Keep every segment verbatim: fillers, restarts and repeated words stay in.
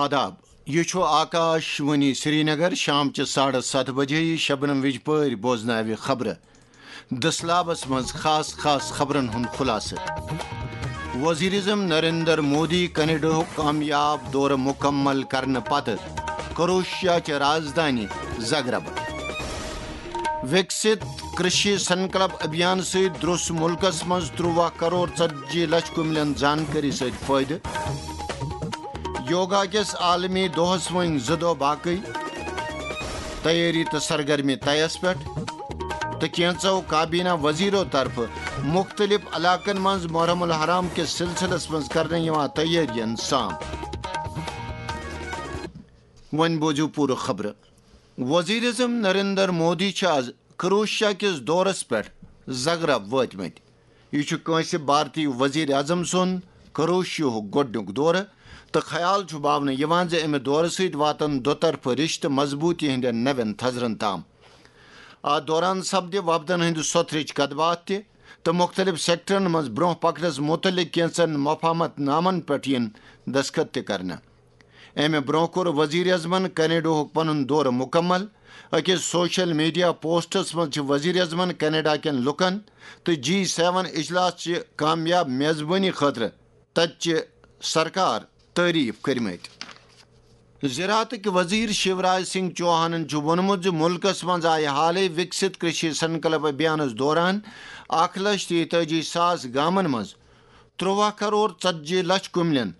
آداب، یہِ چھُ آکاش وانی سرینگر۔ شام چہِ ساڑٕ ستھ بجے یہِ شبنم وِجپٲرۍ بوزناوِ خبرٕ۔ دٔسلابس منٛز خاص خاص خبرن ہُنٛد خُلاصہٕ۔ وزیر اعظم نریندر مودی کینیڈاہُک کامیاب دورٕ مُکمل کرنہٕ پتہٕ کروشیا چہِ رازدانی زگرب۔ وِکسِت کرشی سنکلپ ابھیان سۭتۍ درٛوس مُلکس منٛز ترٛواہ کرور ژتجی لچھ کُملٮ۪ن زانکٲری سۭتۍ فٲیدٕ۔ یوگا کِس عالمی دۄہس وۄنۍ زٕ دۄہ باقٕے، تیٲری تہٕ سرگرمی طیس پٮ۪ٹھ، تہٕ کینٛژو کابینہ وزیرو طرفہٕ مُختٔلِف علاقن منٛز محرم الحرام کِس سلسلس منٛز کرنہٕ یِوان تیٲرین سام۔ وۄنۍ بوزِو پوٗرٕ خبرٕ۔ وزیر اعظم نریندر مودی چھِ آز کروشیا کِس دورس پٮ۪ٹھ زگرب وٲتمٕتۍ۔ یہِ چھُ کٲنٛسہِ بھارتی وزیر اعظم سُنٛد کروشیاہُک گۄڈٕنیُک دورٕ، تہٕ خیال چھُ باونہٕ یِوان زِ اَمہِ دورٕ سۭتۍ واتن دُطرفہٕ رِشتہٕ مضبوٗطی ہٕنٛدٮ۪ن نوٮ۪ن تھزرن تام۔ اَتھ دوران سپدِ وفدن ہٕنٛدِ سۄتھرٕچ کتھ باتھ تہِ، تہٕ مُختٔلِف سیکٹرن منٛز برٛونٛہہ پکنس مُتعلق کینٛژن مفاہمت نامن پٮ۪ٹھ یِن دستخط تہِ کرنہٕ۔ امہِ برٛونٛہہ کوٚر وزیر اعظمن کینیڈاہُک پنُن دورٕ مُکمل۔ أکِس سوشل میڈیا پوسٹس منٛز چھِ وزیر اعظمن کینیڈا کٮ۪ن لُکن تہٕ جی سیون اجلاس چہِ کامیاب میزبٲنی خٲطرٕ تتہِ چہِ سرکار تعریف کٔرمٕتۍ۔ زراعتٕکۍ وزیر شیوراج سنگھ چوہانن چھُ ووٚنمُت زِ مُلکس منٛز آیہِ حالٕے وِکسِت کرشی سنکلپ ابھیانس دوران اکھ لچھ تیتٲجی ساس گامن منٛز ترٛواہ کرور ژتجی لچھ کُملٮ۪ن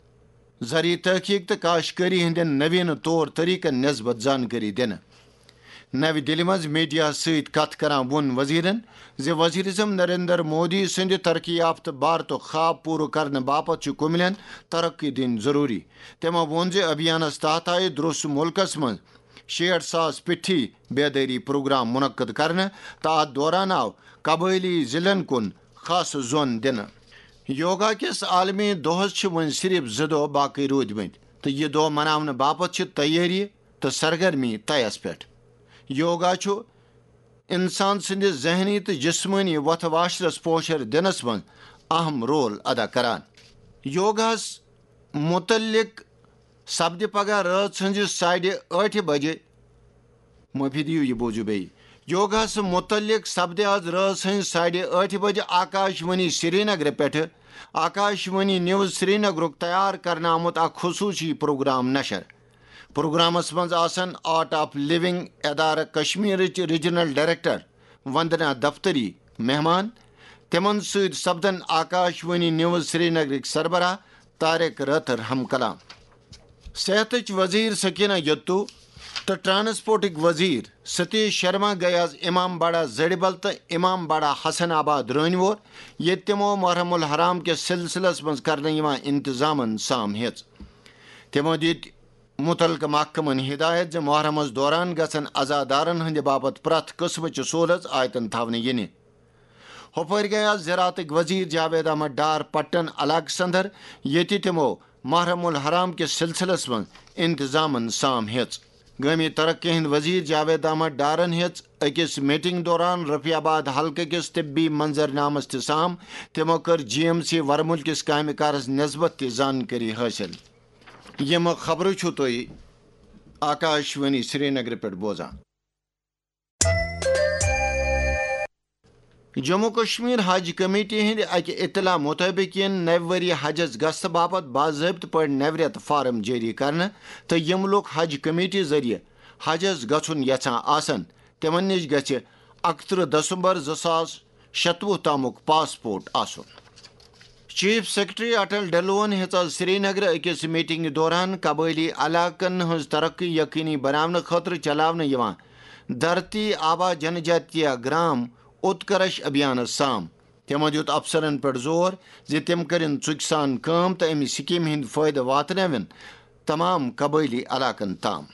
زرعی تحقیق تہٕ کاشتکٲری ہٕنٛدٮ۪ن نویٖنہٕ طور طریقن نسبت زانکٲری دِنہٕ۔ نَوِ دِلہِ منٛز میڈیاہَس سۭتۍ کتھ کران ووٚن وزیرن زِ وزیر اعظم نریندر مودی سٕنٛدِ ترقی یافتہٕ بھارتُک خواب پوٗرٕ کرنہٕ باپتھ چھُ کُملٮ۪ن ترقی دِنۍ ضروٗری۔ تٔمۍ ووٚن زِ ابھیانَس تحت آیہِ درٛوس مُلکَس منٛز شیٹھ ساس پیٹھی بیدٲری پروگرام منعقد کرنہٕ تہٕ اَتھ دوران آو قبٲئلی ضلعن کُن خاص زون دِنہٕ۔ یوگا کِس عالمی دۄہَس چھِ وۄنۍ صرف زٕ دۄہ باقٕے روٗدمٕتۍ تہٕ یہِ دۄہ مناونہٕ باپتھ چھِ تیٲری تہٕ سرگرمی طیَس پٮ۪ٹھ۔ یوگا چھُ انسان سٕنٛدِ ذہنی تہٕ جسمٲنی وۄتھٕ واشرس پوشر دِنس منٛز اہم رول ادا کران۔ یوگاہس متعلق سپدِ پگاہ رٲژ ہٕنٛزِ ساڑِ ٲٹھِ بجہِ، معٲفی دِیِو، یہِ بوٗزِو بیٚیہِ۔ یوگاہس متعلق سپدِ آز رٲژ ہٕنٛزِ ساڑِ ٲٹھِ بجہِ آکاش وانی سرینگرٕ پٮ۪ٹھٕ، آکاش وانی نیوز سرینگرُک تیار کرنہٕ آمُت اکھ خصوٗصی پروگرام نشر۔ پروگرامس منٛز آسن آرٹ آف لونگ ادارٕ کشمیرٕچ ریجنل ڈائریکٹر وندنا دفتری مہمان۔ تِمن سۭتۍ سپدن آکاش وانی نیوز سرینگرٕکۍ سربراہ طارق رٲتھر ہم کلام۔ صحتٕچ وزیر سکینہ یتو تہٕ ٹرانسپورٹٕکۍ وزیر ستیش شرما گٔیہِ آز امام باڑہ زڑبل تہٕ امام باڑہ حسن آباد رٲنۍ وور، ییٚتہِ تِمو محرم الحرام کِس سلسلس منٛز کرنہٕ یِوان انتظامن سام ہیٚژ۔ تِمو دِتۍ مُتعلقہٕ محکمن ہدایت زِ محرمس دوران گژھن عزادارن ہٕنٛدِ باپتھ پرٛٮ۪تھ قٕسمٕچہِ سہوٗلژ آیتن تھاونہٕ یِنہِ۔ ہُپٲرۍ گٔیہِ آز زراعتٕکۍ وزیر جاوید احمد ڈار پٹن علاقس اندر، ییٚتہِ تِمو محرم الحرام کِس سلسلس منٛز انتظامن سام ہیٚژ۔ گٲمی ترقی ہٕنٛدۍ وزیر جاوید احمد ڈارن ہیٚژ أکِس میٹنگ دوران رفیع آباد حلقہٕ کِس طبی منظرنامس تہِ سام۔ تِمو کٔر جی ایم سی ورمُل کِس کامہِ کارس نسبت تہِ زانکٲری حٲصِل۔ یِم خبرٕ چھِو تُہۍ آکاش وانی سرینگرٕ پٮ۪ٹھ بوزان۔ جموں کشمیر حج کمیٹی ہٕنٛدِ اکہِ اطلاع مُطٲبِق یِن نَوِ ؤری حجس گژھنہٕ باپتھ باضٲبطہٕ پٲٹھۍ نَوِ رٮ۪تہٕ فارم جٲری کرنہٕ، تہٕ یِم لوٗکھ حج کمیٹی ذٔریعہٕ حجس گژھُن یژھان آسن، تِمن نِش گژھِ اَکترٕہ دسمبر زٕ ساس شتوُہ تامُک پاسپورٹ آسُن۔ چیف سیکرٹری اٹل ڈھلوہن ہیٚژ آز سرینگرٕ أکِس میٹنگہِ دوران قبٲئلی علاقن ہٕنٛز ترقی یقینی بناونہٕ خٲطرٕ چلاونہٕ یِوان دھرتی آبا جنجاتیہ گرام اتکرش ابھیانس سام۔ تِمو دیُت افسرن پٮ۪ٹھ زور زِ تِم کٔرِن ژُکۍ سان کٲم تہٕ امہِ سکیمہِ ہٕنٛدۍ فٲیدٕ واتنٲوِن تمام قبٲئلی علاقن تام۔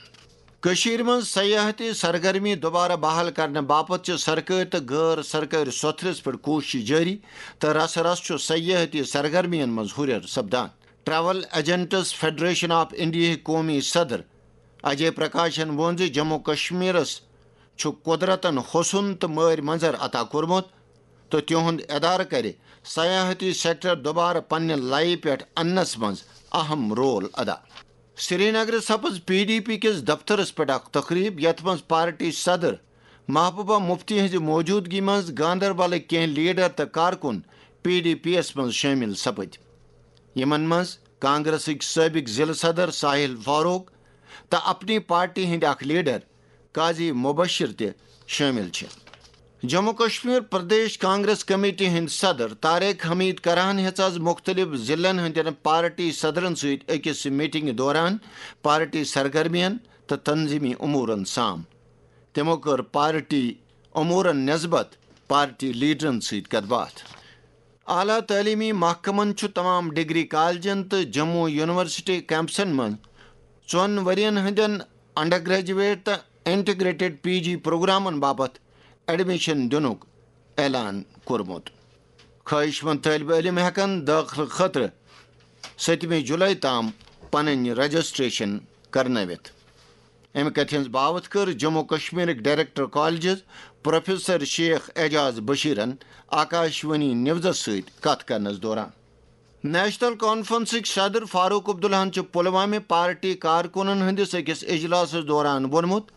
کٔشیٖرِ منٛز سیاحتی سرگرمی دوبارٕ بحال کرنہٕ باپتھ چھِ سرکٲرۍ تہٕ غٲر سرکٲرۍ سوٚتھرِس پٮ۪ٹھ کوٗشش جٲری، تہٕ رسہٕ رسہٕ چھُ سیاحتی سرگرمین منٛز ہُرٮ۪ر سپدان۔ ٹریول ایجنٹس فیڈریشن آف انڈیاہٕکۍ قومی صدر اجے پرکاشن ووٚن زِ جموں کشمیرس چھُ قدرتن حسن تہٕ مٲرۍ منظر عطا کوٚرمُت، تہٕ تِہُنٛد ادارٕ کرِ سیاحتی سیکٹر دوبارٕ پننہِ لَیہِ پٮ۪ٹھ اننس منٛز اہم رول ادا۔ سرینگرٕ سپٕز پی ڈی پی کِس دفترس پٮ۪ٹھ اکھ تقریب، یتھ منٛز پارٹی صدر محبوبہ مفتی ہٕنٛزِ موجودگی منٛز گاندربلٕکۍ کینٛہہ لیڈر تہٕ کارکُن پی ڈی پی یَس منٛز شٲمِل سپٕدۍ۔ یِمن منٛز کانگریسٕکۍ سٲبق ضلع صدر ساحل فاروق تہٕ اپنی پارٹی ہٕنٛدۍ اکھ لیڈر قاضی مبشر تہِ شٲمِل چھِ۔ جموں کشمیر پردیش کانگریس کمیٹی ہٕنٛدۍ صدر طارق حمید کرہن ہیٚژ از مُختٔلِف ضلعن ہٕنٛدٮ۪ن پارٹی صدرن سۭتۍ أکِس میٹنگہِ دوران پارٹی سرگرمین تہٕ تنظیمی امورن سام۔ تِمو کٔر پارٹی امورن نسبت پارٹی لیڈرن سۭتۍ کتھ باتھ۔ اعلیٰ تعلیمی محکمن چھُ تمام ڈگری کالجن تہٕ جموں یونیورسٹی کیمپسن منٛز ژۄن ؤرین ہٕنٛدٮ۪ن انڈر گریجویٹ تہٕ انٹیگریٹڈ پی جی پروگرامن باپتھ ایڈمیشن دِنُک اعلان کوٚرمُت۔ خواہش مند طٲلبہِ علم ہٮ۪کن دٲخلہٕ خٲطرٕ ستمہِ جُلے تام پنٕنۍ رجسٹریشن کرنٲوِتھ۔ امہِ کتھِ ہٕنٛز باوتھ کٔر جموں کشمیرٕکۍ director colleges professor Sheikh Ijaz بشیرن آکاشوانی نیوزس سۭتۍ کتھ کرنس دوران۔ نیشنل کانفرنسٕکۍ صدر فاروق عبداللہن چھُ پلوامہِ پارٹی کارکنن ہٕنٛدِس أکِس اجلاسس دوران ووٚنمُت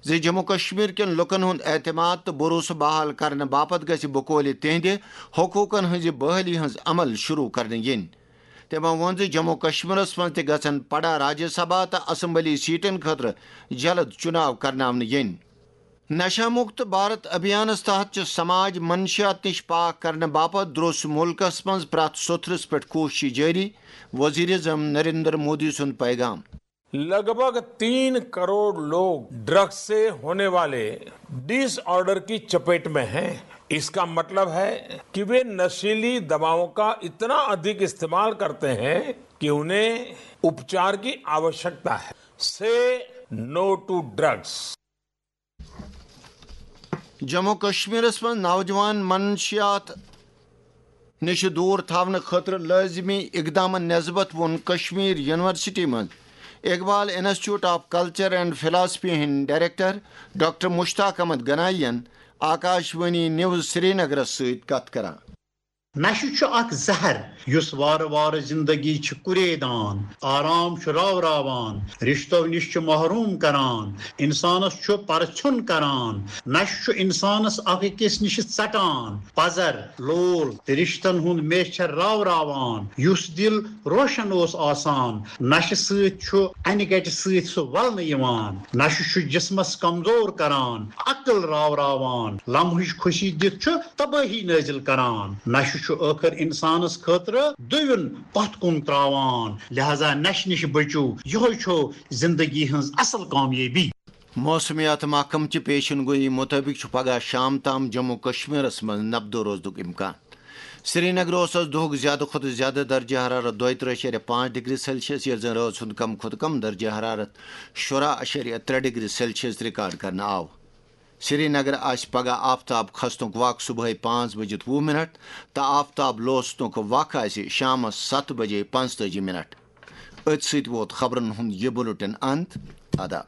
زِ جموں کشمیر کٮ۪ن لوٗکن ہُنٛد اعتماد تہٕ بھروسہٕ بحال کرنہٕ باپتھ گژھِ بقولِ تِہنٛدِ حقوٗقن ہٕنٛزِ بحٲلی ہٕنٛز عمل شروع کرنہٕ یِنۍ۔ تٔمۍ ووٚن زِ جموں کشمیرس منٛز تہِ گژھن پڑا راجیہ سبھا تہٕ اسمبلی سیٹن خٲطرٕ جلد چُناو کرناونہٕ یِنۍ۔ نشہ مکت بھارت ابھیانس تحت چھِ سماج منشیات نِش پاک کرنہٕ باپتھ دروٚس مُلکس منٛز پرٛٮ۪تھ سوٚتھرِس پٮ۪ٹھ کوٗشش جٲری، وزیر اعظم نریندر مودی سُنٛد پیغام۔ लगभग तीन करोड़ लोग ड्रग्स से होने वाले डिसऑर्डर की चपेट में हैं। इसका मतलब है कि वे नशीली दवाओं का इतना अधिक इस्तेमाल करते हैं कि उन्हें उपचार की आवश्यकता है। से नो टू ड्रग्स। جموں کشمیرس منٛز نوجوان منشیات نِش دوٗر تھاونہٕ خٲطرٕ لٲزمی اقدامن نسبت ووٚن کشمیر یونیورسٹی منٛز Iqbal institute of culture and philosophy ہٕنٛدۍ ڈائریکٹر ڈاکٹر مشتاق احمد گنایی ین آکاشوانی نیوز سرینگرس سۭتۍ کتھ کران۔ نشہٕ چھُ اکھ زہر یُس وارٕ وارٕ زندگی چھِ کُریدان، آرام چھُ راوراوان، رشتو نِش چھُ محروم کران، انسانس چھُ پرژھیوٚن کران۔ نشہٕ چھُ انسانس اکھ أکِس نِش ژٹان، پزر، لول تہٕ رشتن ہُنٛد میچھر راوراوان۔ یُس دل روشن اوس آسان، نشہٕ سۭتۍ چھُ انہِ گٹہِ سۭتۍ سُہ ولنہٕ یِوان۔ نشہٕ چھُ جسمس کمزور کران، عقل راوراوان، لمحٕچ خوشی دِتھ چھُ تبٲہی نٲزِل کران۔ نشہٕ چھُ ٲخر انسانس خٲطرٕ دویُن پتھ کُن تراوان۔ لہذا نشہٕ نِش بٔچِو، یِہوٚے چھو زندگی ہٕنٛز اصل کامیٲبی۔ موسمیات محکمہٕ چہِ پیشن گویی مُطٲبِق چھُ پگہہ شام تام جموں کشمیرس منٛز نبدو روزنُک امکان۔ سرینگرٕ اوس از دۄہُک زیادٕ کھۄتہٕ زیادٕ درجہ حرارت دۄیہِ ترٕٛہ اَشاریہ پانٛژھ ڈگری سیلسیس، ییٚلہِ زن رٲژ ہُنٛد کم کھۄتہٕ کم درجہ حرارت شُراہ اَشاریہ ترٛےٚ ڈگری سیلسیس ریکارڈ کرنہٕ آو۔ سرینگرٕ آسہِ پگہہ آفتاب کھسنُک وق صبحٲے پانٛژھ بجِتھ وُہ منٹ تہٕ آفتاب لوسنُک وق آسہِ شامس ستھ بجے پانٛژتٲجی منٹ۔ أتھۍ سۭتۍ ووت خبرن ہُنٛد یہِ بُلٹن انت۔ آداب۔